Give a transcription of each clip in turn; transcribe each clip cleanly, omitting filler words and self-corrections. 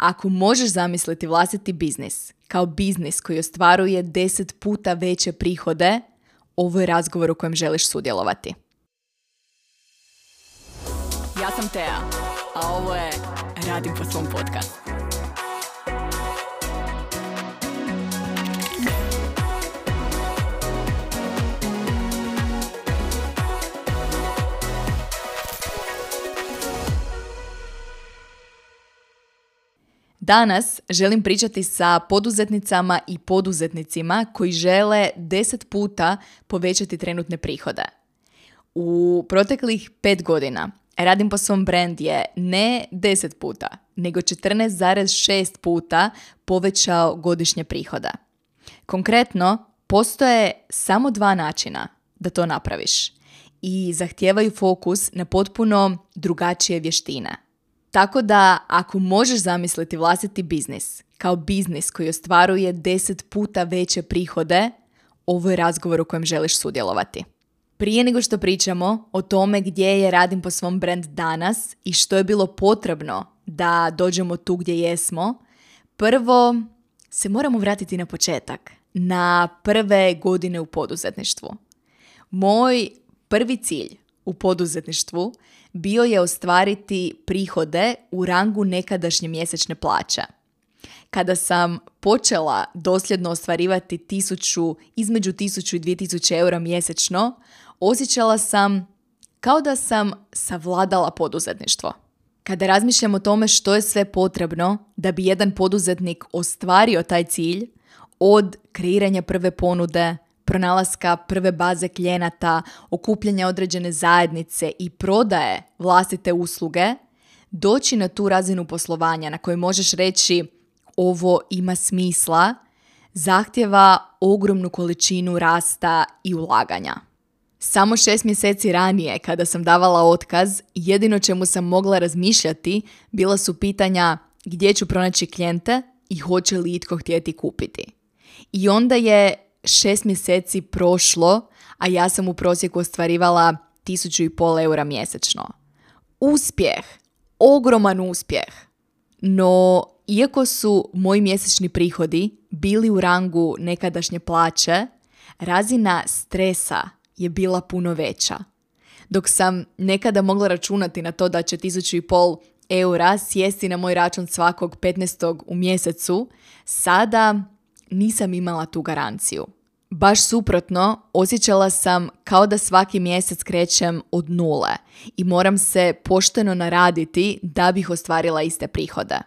ako možeš zamisliti vlastiti biznis kao biznis koji ostvaruje 10 puta veće prihode, ovo je razgovor u kojem želiš sudjelovati. Ja sam Tea, a ovo je Radim po svom podcastu. Danas želim pričati sa poduzetnicama i poduzetnicima koji žele 10 puta povećati trenutne prihode. U proteklih 5 godina Radim po svom brand je ne 10 puta, nego 14,6 puta povećao godišnje prihode. Konkretno, postoje samo 2 načina da to napraviš i zahtijevaju fokus na potpuno drugačije vještine. Tako da, ako možeš zamisliti vlastiti biznis kao biznis koji ostvaruje 10 puta veće prihode, ovo je razgovor u kojem želiš sudjelovati. Prije nego što pričamo o tome gdje je Radim po svom brand danas i što je bilo potrebno da dođemo tu gdje jesmo, prvo se moramo vratiti na početak, na prve godine u poduzetništvu. Moj prvi cilj u poduzetništvu bio je ostvariti prihode u rangu nekadašnje mjesečne plaće. Kada sam počela dosljedno ostvarivati između 1000 i 2000 eura mjesečno, osjećala sam kao da sam savladala poduzetništvo. Kada razmišljam o tome što je sve potrebno da bi jedan poduzetnik ostvario taj cilj, od kreiranja prve ponude, pronalaska prve baze klijenata, okupljanja određene zajednice i prodaje vlastite usluge, doći na tu razinu poslovanja na kojoj možeš reći ovo ima smisla, zahtjeva ogromnu količinu rasta i ulaganja. Samo 6 mjeseci ranije, kada sam davala otkaz, jedino čemu sam mogla razmišljati bila su pitanja gdje ću pronaći klijente i hoće li itko htjeti kupiti. I onda je 6 mjeseci prošlo, a ja sam u prosjeku ostvarivala 1500 eura mjesečno. Uspjeh, ogroman uspjeh. No, iako su moji mjesečni prihodi bili u rangu nekadašnje plaće, razina stresa je bila puno veća. Dok sam nekada mogla računati na to da će 1500 eura sjesti na moj račun svakog 15. u mjesecu, sada nisam imala tu garanciju. Baš suprotno, osjećala sam kao da svaki mjesec krećem od nule i moram se pošteno naraditi da bih ostvarila iste prihode.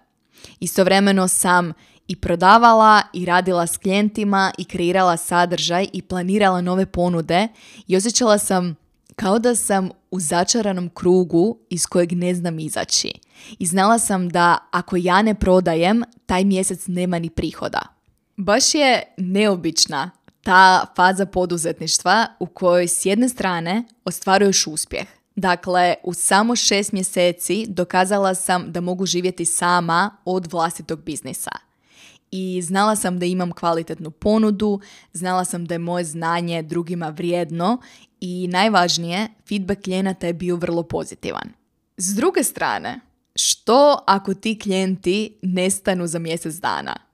Istovremeno sam i prodavala i radila s klijentima i kreirala sadržaj i planirala nove ponude i osjećala sam kao da sam u začaranom krugu iz kojeg ne znam izaći. I znala sam da ako ja ne prodajem, taj mjesec nema ni prihoda. Baš je neobična ta faza poduzetništva u kojoj s jedne strane ostvaruješ uspjeh. Dakle, u samo 6 mjeseci dokazala sam da mogu živjeti sama od vlastitog biznisa. I znala sam da imam kvalitetnu ponudu, znala sam da je moje znanje drugima vrijedno i najvažnije, feedback klijenata je bio vrlo pozitivan. S druge strane, što ako ti klijenti nestanu za mjesec dana?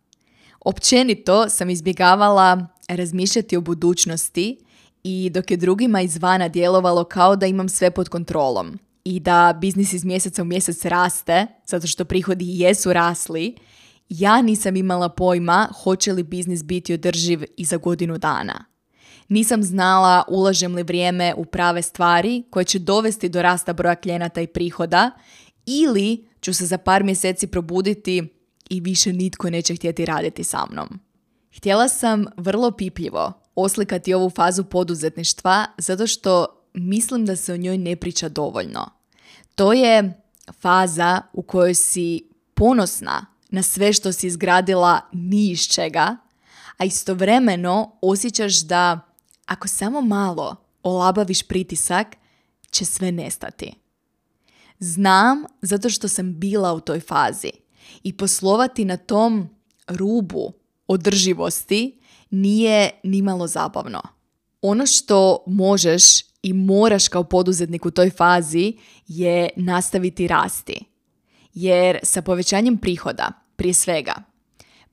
Općenito sam izbjegavala razmišljati o budućnosti i dok je drugima izvana djelovalo kao da imam sve pod kontrolom i da biznis iz mjeseca u mjesec raste, zato što prihodi jesu rasli, ja nisam imala pojma hoće li biznis biti održiv i za godinu dana. Nisam znala ulažem li vrijeme u prave stvari koje će dovesti do rasta broja klijenata i prihoda ili ću se za par mjeseci probuditi i više nitko neće htjeti raditi sa mnom. Htjela sam vrlo pipljivo oslikati ovu fazu poduzetništva zato što mislim da se o njoj ne priča dovoljno. To je faza u kojoj si ponosna na sve što si izgradila ni iz čega, a istovremeno osjećaš da ako samo malo olabaviš pritisak, će sve nestati. Znam zato što sam bila u toj fazi i poslovati na tom rubu održivosti nije nimalo zabavno. Ono što možeš i moraš kao poduzetnik u toj fazi je nastaviti rasti. Jer sa povećanjem prihoda Prije svega,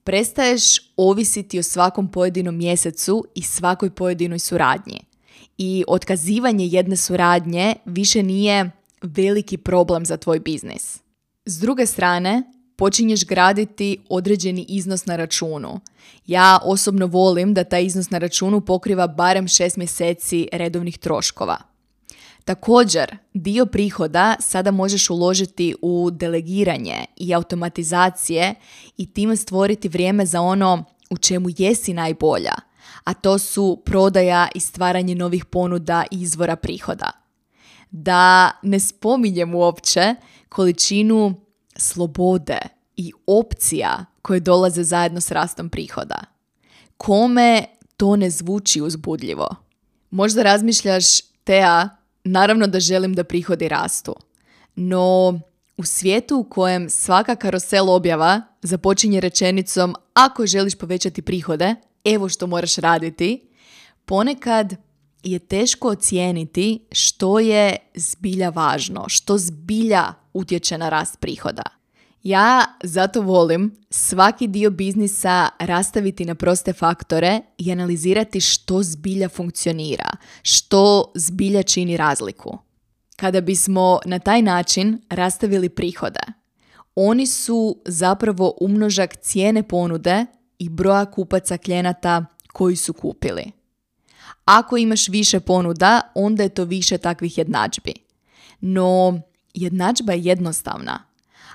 prestaješ ovisiti o svakom pojedinom mjesecu i svakoj pojedinoj suradnji. I otkazivanje jedne suradnje više nije veliki problem za tvoj biznis. S druge strane, počinješ graditi određeni iznos na računu. Ja osobno volim da taj iznos na računu pokriva barem 6 mjeseci redovnih troškova. Također, dio prihoda sada možeš uložiti u delegiranje i automatizacije i time stvoriti vrijeme za ono u čemu jesi najbolja, a to su prodaja i stvaranje novih ponuda i izvora prihoda. Da ne spominjem uopće količinu slobode i opcija koje dolaze zajedno s rastom prihoda. Kome to ne zvuči uzbudljivo? Možda razmišljaš, Tea, naravno da želim da prihodi rastu, no u svijetu u kojem svaka karusel objava započinje rečenicom ako želiš povećati prihode, evo što moraš raditi, ponekad je teško ocijeniti što je zbilja važno, što zbilja utječe na rast prihoda. Ja zato volim svaki dio biznisa rastaviti na proste faktore i analizirati što zbilja funkcionira, što zbilja čini razliku. Kada bismo na taj način rastavili prihode, oni su zapravo umnožak cijene ponude i broja kupaca klijenata koji su kupili. Ako imaš više ponuda, onda je to više takvih jednadžbi. No, jednadžba je jednostavna.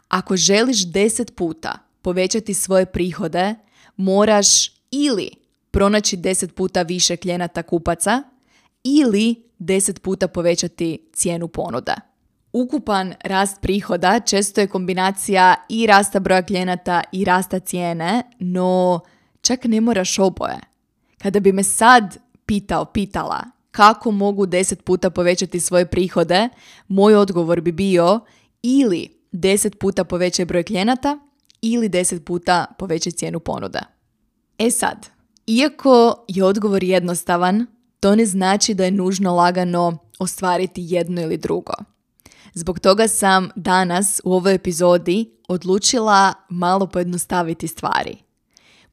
Ako želiš 10 puta povećati svoje prihode, moraš ili pronaći 10 puta više klijenata kupaca ili 10 puta povećati cijenu ponude. Ukupan rast prihoda često je kombinacija i rasta broja klijenata i rasta cijene, no čak ne moraš oboje. Kada bi me sad pitala kako mogu 10 puta povećati svoje prihode, moj odgovor bi bio ili 10 puta povećaj broj klijenata ili 10 puta povećaj cijenu ponude. E sad, iako je odgovor jednostavan, to ne znači da je nužno lagano ostvariti jedno ili drugo. Zbog toga sam danas u ovoj epizodi odlučila malo pojednostaviti stvari.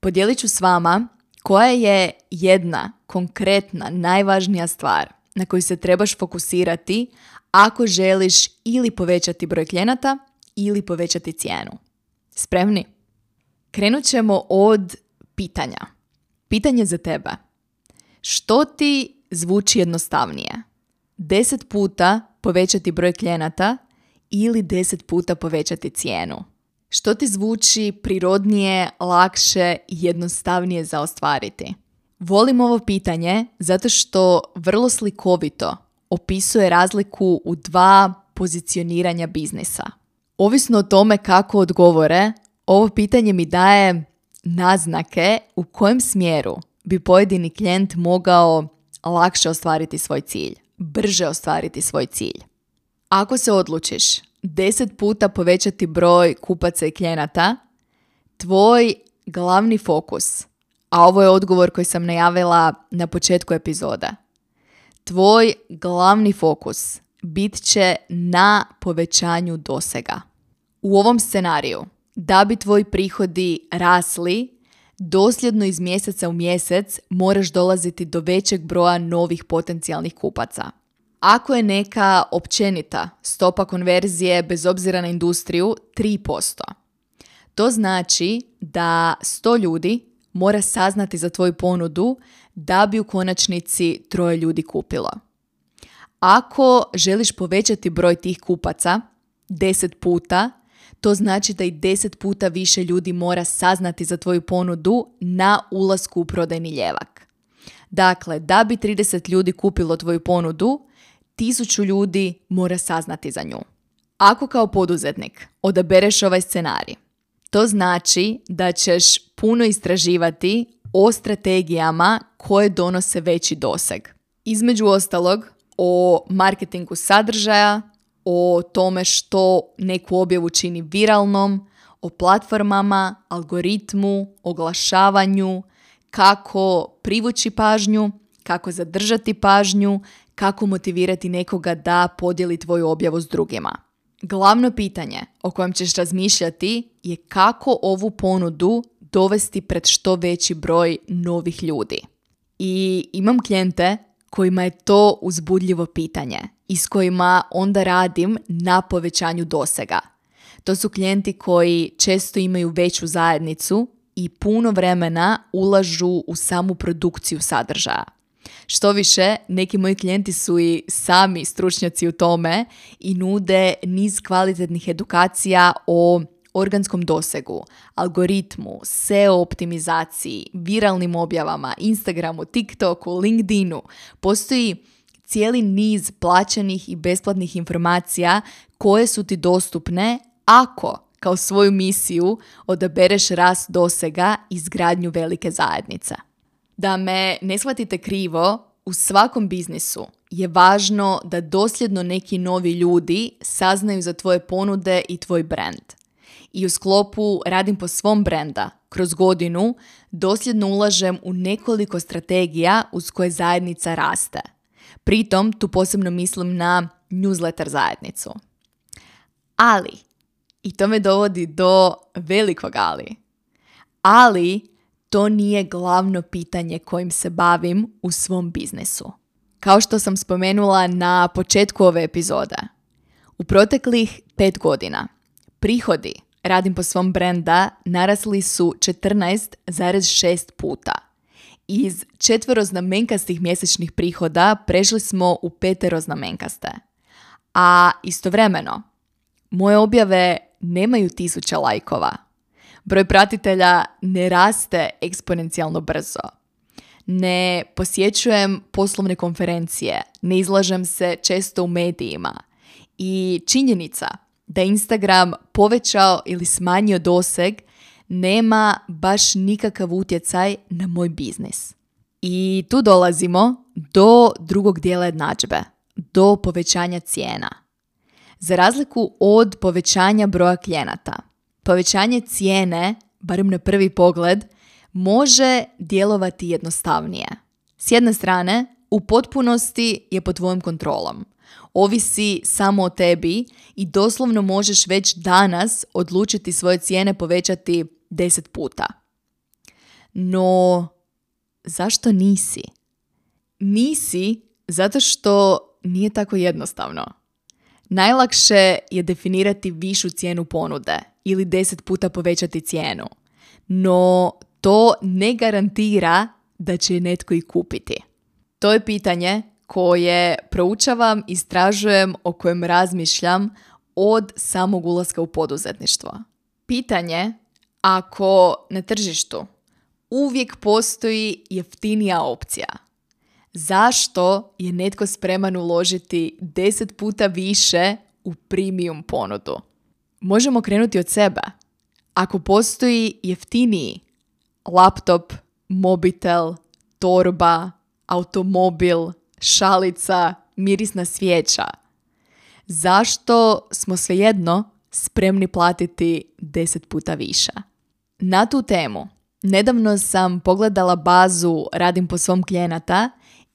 Podijelit ću s vama koja je jedna konkretna, najvažnija stvar na koju se trebaš fokusirati ako želiš ili povećati broj klijenata ili povećati cijenu. Spremni? Krenut ćemo od pitanja. Pitanje za tebe. Što ti zvuči jednostavnije? 10 puta povećati broj klijenata ili 10 puta povećati cijenu? Što ti zvuči prirodnije, lakše i jednostavnije za ostvariti? Volim ovo pitanje zato što vrlo slikovito opisuje razliku u dva pozicioniranja biznisa. Ovisno o tome kako odgovore, ovo pitanje mi daje naznake u kojem smjeru bi pojedini klijent mogao lakše ostvariti svoj cilj, brže ostvariti svoj cilj. Ako se odlučiš 10 puta povećati broj kupaca i klijenata, tvoj glavni fokus, a ovo je odgovor koji sam najavila na početku epizode, tvoj glavni fokus bit će na povećanju dosega. U ovom scenariju, da bi tvoji prihodi rasli, dosljedno iz mjeseca u mjesec moraš dolaziti do većeg broja novih potencijalnih kupaca. Ako je neka općenita stopa konverzije bez obzira na industriju 3%, to znači da 100 ljudi mora saznati za tvoju ponudu da bi u konačnici 3 ljudi kupilo. Ako želiš povećati broj tih kupaca 10 puta, to znači da i 10 puta više ljudi mora saznati za tvoju ponudu na ulasku u prodajni ljevak. Dakle, da bi 30 ljudi kupilo tvoju ponudu, 1000 ljudi mora saznati za nju. Ako kao poduzetnik odabereš ovaj scenarij, to znači da ćeš puno istraživati o strategijama koje donose veći doseg. Između ostalog, o marketingu sadržaja, o tome što neku objavu čini viralnom, o platformama, algoritmu, oglašavanju, kako privući pažnju, kako zadržati pažnju, kako motivirati nekoga da podijeli tvoju objavu s drugima. Glavno pitanje o kojem ćeš razmišljati je kako ovu ponudu dovesti pred što veći broj novih ljudi. I imam klijente kojima je to uzbudljivo pitanje i s kojima onda radim na povećanju dosega. To su klijenti koji često imaju veću zajednicu i puno vremena ulažu u samu produkciju sadržaja. Što više, neki moji klijenti su i sami stručnjaci u tome i nude niz kvalitetnih edukacija o organskom dosegu, algoritmu, SEO optimizaciji, viralnim objavama, Instagramu, TikToku, LinkedInu. Postoji cijeli niz plaćenih i besplatnih informacija koje su ti dostupne ako kao svoju misiju odabereš rast dosega i izgradnju velike zajednice. Da me ne shvatite krivo, u svakom biznisu je važno da dosljedno neki novi ljudi saznaju za tvoje ponude i tvoj brand. I u sklopu Radim po svom brenda kroz godinu dosljedno ulažem u nekoliko strategija uz koje zajednica raste. Pritom tu posebno mislim na newsletter zajednicu. Ali, i to me dovodi do velikog ali to nije glavno pitanje kojim se bavim u svom biznisu. Kao što sam spomenula na početku ove epizode, u proteklih 5 godina prihodi Radim po svom brenda narasli su 14,6 puta. Iz 4-znamenkastih mjesečnih prihoda prešli smo u 5-znamenkaste. A istovremeno, moje objave nemaju 1000 lajkova. Broj pratitelja ne raste eksponencijalno brzo. Ne posjećujem poslovne konferencije, ne izlažem se često u medijima. I činjenica da Instagram povećao ili smanjio doseg nema baš nikakav utjecaj na moj biznis. I tu dolazimo do drugog dijela jednadžbe, do povećanja cijena. Za razliku od povećanja broja klijenata, povećanje cijene, barem na prvi pogled, može djelovati jednostavnije. S jedne strane, u potpunosti je pod tvojom kontrolom. Ovisi samo o tebi i doslovno možeš već danas odlučiti svoje cijene povećati 10 puta. No, zašto nisi? Nisi zato što nije tako jednostavno. Najlakše je definirati višu cijenu ponude ili 10 puta povećati cijenu. No, to ne garantira da će je netko i kupiti. To je pitanje koje proučavam, istražujem, o kojem razmišljam od samog ulaska u poduzetništvo. Pitanje ako na tržištu uvijek postoji jeftinija opcija. Zašto je netko spreman uložiti 10 puta više u premium ponudu? Možemo krenuti od sebe. Ako postoji jeftiniji laptop, mobitel, torba, automobil, šalica, mirisna svijeća, zašto smo svejedno spremni platiti 10 puta više? Na tu temu nedavno sam pogledala bazu Radim po svom klijenata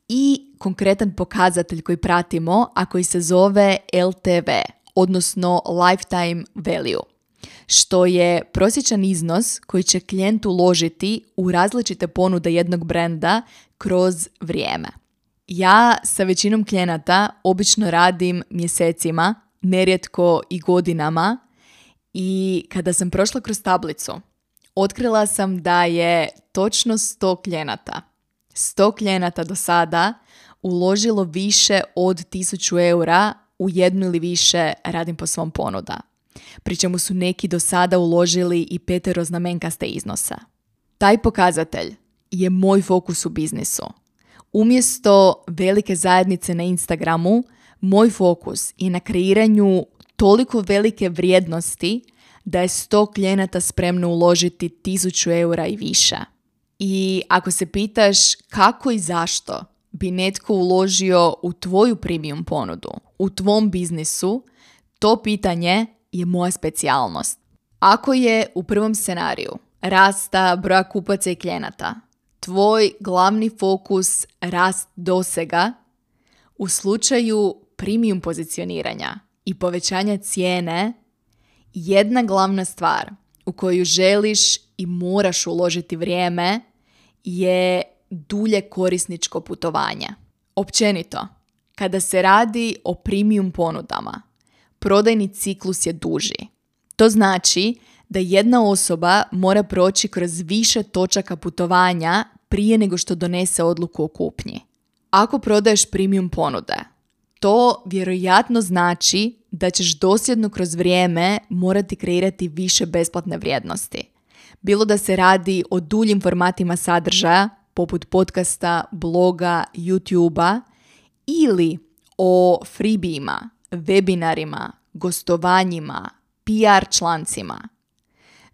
i konkretan pokazatelj koji pratimo, a koji se zove LTV, odnosno Lifetime Value, što je prosječan iznos koji će klijent uložiti u različite ponude jednog brenda kroz vrijeme. Ja sa većinom klijenata obično radim mjesecima, nerijetko i godinama, i kada sam prošla kroz tablicu, otkrila sam da je točno 100 klijenata do sada uložilo više od 1000 eura u jednu ili više Radim po svom ponuda. Pri čemu su neki do sada uložili i 5-znamenkaste iznose. Taj pokazatelj je moj fokus u biznisu. Umjesto velike zajednice na Instagramu, moj fokus je na kreiranju toliko velike vrijednosti da je 100 klijenata spremno uložiti 1000 eura i više. I ako se pitaš kako i zašto bi netko uložio u tvoju premium ponudu, u tvom biznisu, to pitanje je moja specijalnost. Ako je u prvom scenariju rasta broja kupaca i klijenata tvoj glavni fokus rast dosega, u slučaju premium pozicioniranja i povećanja cijene, jedna glavna stvar u koju želiš i moraš uložiti vrijeme je dulje korisničko putovanje. Općenito, kada se radi o premium ponudama, prodajni ciklus je duži. To znači da jedna osoba mora proći kroz više točaka putovanja prije nego što donese odluku o kupnji. Ako prodaješ premium ponude, to vjerojatno znači da ćeš dosljedno kroz vrijeme morati kreirati više besplatne vrijednosti. Bilo da se radi o duljim formatima sadržaja, poput podcasta, bloga, YouTubea, ili o freebijima, webinarima, gostovanjima, PR člancima.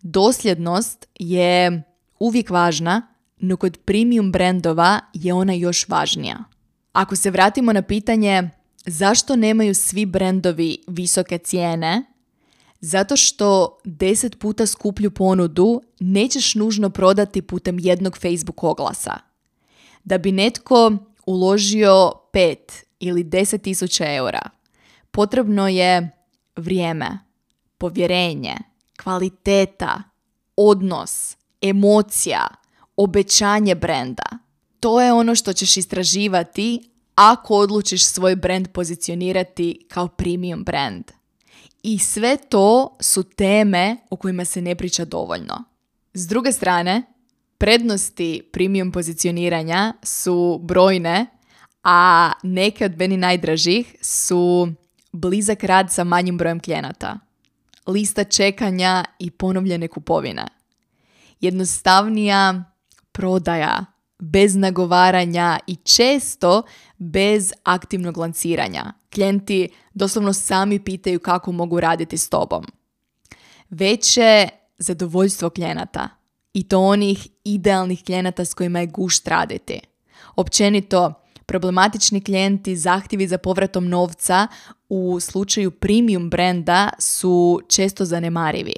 Dosljednost je uvijek važna, no kod premium brandova je ona još važnija. Ako se vratimo na pitanje zašto nemaju svi brendovi visoke cijene, zato što 10 puta skuplju ponudu nećeš nužno prodati putem jednog Facebook oglasa. Da bi netko uložio 5 ili 10.000 eura, potrebno je vrijeme, povjerenje, kvaliteta, odnos, emocija, obećanje brenda. To je ono što ćeš istraživati ako odlučiš svoj brand pozicionirati kao premium brand. I sve to su teme o kojima se ne priča dovoljno. S druge strane, prednosti premium pozicioniranja su brojne, a neke od meni najdražih su blizak rad sa manjim brojem klijenata, lista čekanja i ponovljene kupovine, jednostavnija prodaja, bez nagovaranja i često bez aktivnog lanciranja. Klijenti doslovno sami pitaju kako mogu raditi s tobom. Veće zadovoljstvo klijenata i to onih idealnih klijenata s kojima je gušt raditi. Općenito, problematični klijenti, zahtjevi za povratom novca u slučaju premium brenda su često zanemarivi.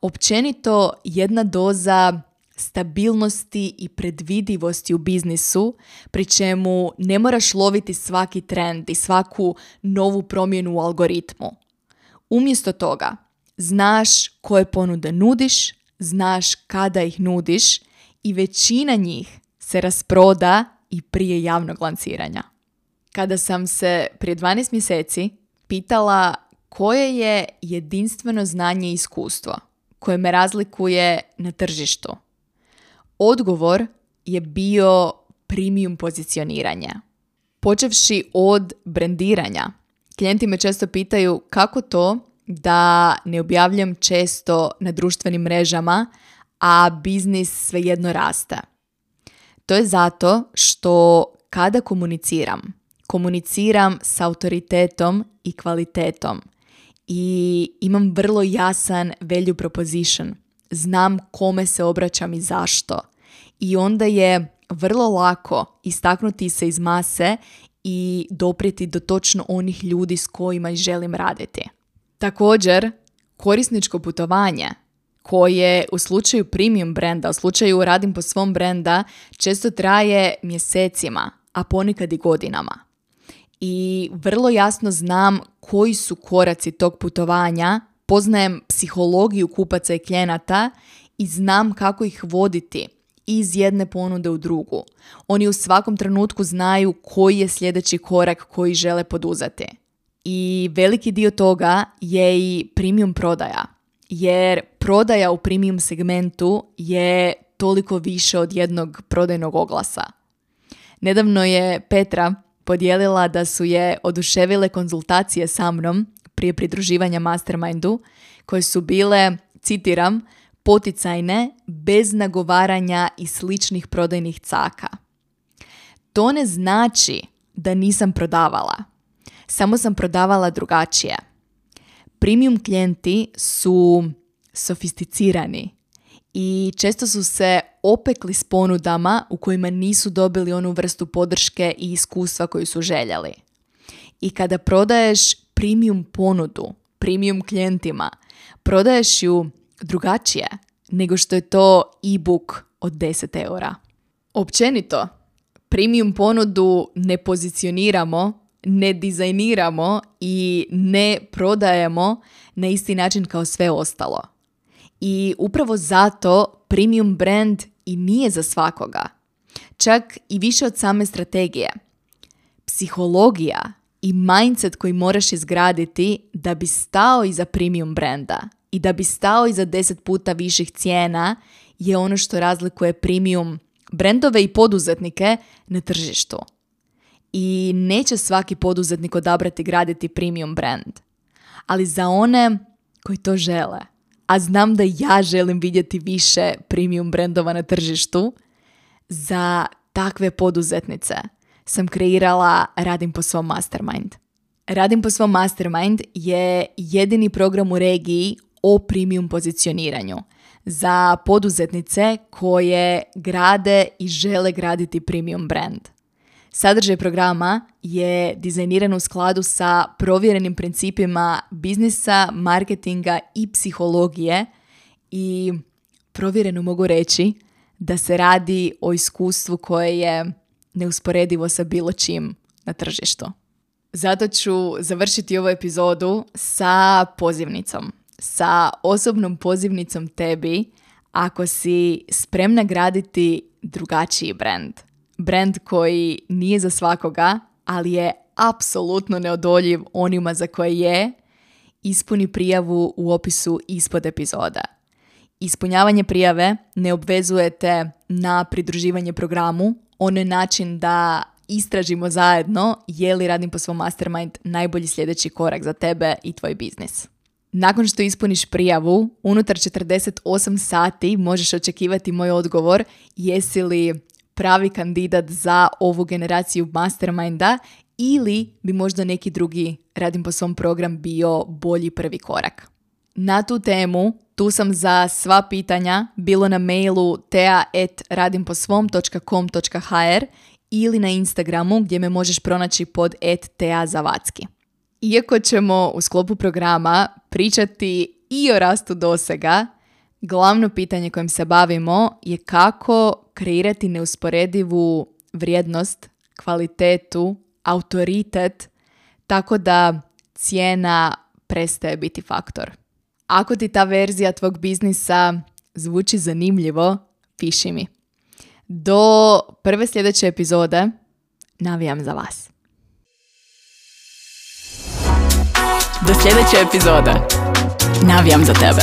Općenito, jedna doza stabilnosti i predvidivosti u biznisu, pri čemu ne moraš loviti svaki trend i svaku novu promjenu u algoritmu. Umjesto toga, znaš koje ponude nudiš, znaš kada ih nudiš i većina njih se rasproda i prije javnog lanciranja. Kada sam se prije 12 mjeseci pitala koje je jedinstveno znanje i iskustvo koje me razlikuje na tržištu, odgovor je bio premium pozicioniranje. Počevši od brendiranja, klijenti me često pitaju kako to da ne objavljam često na društvenim mrežama, a biznis svejedno raste. To je zato što kada komuniciram s autoritetom i kvalitetom i imam vrlo jasan value proposition. Znam kome se obraćam i zašto. I onda je vrlo lako istaknuti se iz mase i doprijeti do točno onih ljudi s kojima želim raditi. Također, korisničko putovanje koje u slučaju premium brenda, u slučaju radim po svom brenda, često traje mjesecima, a ponekad i godinama. I vrlo jasno znam koji su koraci tog putovanja, poznajem psihologiju kupaca i klijenata i znam kako ih voditi iz jedne ponude u drugu. Oni u svakom trenutku znaju koji je sljedeći korak koji žele poduzeti. I veliki dio toga je i premium prodaja. Jer prodaja u premium segmentu je toliko više od jednog prodajnog oglasa. Nedavno je Petra podijelila da su je oduševile konzultacije sa mnom prije pridruživanja Mastermindu, koje su bile, citiram, poticajne, bez nagovaranja i sličnih prodajnih caka. To ne znači da nisam prodavala. Samo sam prodavala drugačije. Premium klijenti su sofisticirani i često su se opekli s ponudama u kojima nisu dobili onu vrstu podrške i iskustva koju su željeli. I kada prodaješ premium ponudu, premium klijentima, prodaješ ju drugačije nego što je to e-book od 10 eura. Općenito, premium ponudu ne pozicioniramo ne dizajniramo i ne prodajemo na isti način kao sve ostalo. I upravo zato premium brand i nije za svakoga. Čak i više od same strategije. Psihologija i mindset koji moraš izgraditi da bi stao iza premium branda i da bi stao iza 10 puta viših cijena je ono što razlikuje premium brendove i poduzetnike na tržištu. I neće svaki poduzetnik odabrati graditi premium brand. Ali za one koji to žele, a znam da ja želim vidjeti više premium brandova na tržištu, za takve poduzetnice sam kreirala Radim po svom Mastermind. Radim po svom Mastermind je jedini program u regiji o premium pozicioniranju za poduzetnice koje grade i žele graditi premium brand. Sadržaj programa je dizajniran u skladu sa provjerenim principima biznisa, marketinga i psihologije i provjereno mogu reći da se radi o iskustvu koje je neusporedivo sa bilo čim na tržištu. Zato ću završiti ovu epizodu sa pozivnicom. Sa osobnom pozivnicom tebi ako si spremna graditi drugačiji brand. Brand koji nije za svakoga, ali je apsolutno neodoljiv onima za koje je. Ispuni prijavu u opisu ispod epizoda. Ispunjavanje prijave ne obvezujete na pridruživanje programu. Ono je način da istražimo zajedno je li Radim po svom Mastermind najbolji sljedeći korak za tebe i tvoj biznis. Nakon što ispuniš prijavu, unutar 48 sati možeš očekivati moj odgovor jesi li pravi kandidat za ovu generaciju Masterminda ili bi možda neki drugi Radim po svom program bio bolji prvi korak. Na tu temu tu sam za sva pitanja, bilo na mailu tea@radimposvom.com.hr ili na Instagramu gdje me možeš pronaći pod @teazavacki. Iako ćemo u sklopu programa pričati i o rastu dosega, glavno pitanje kojim se bavimo je kako kreirati neusporedivu vrijednost, kvalitetu, autoritet, tako da cijena prestaje biti faktor. Ako ti ta verzija tvog biznisa zvuči zanimljivo, piši mi. Do prve sljedeće epizode navijam za vas. Do sljedeće epizode navijam za tebe.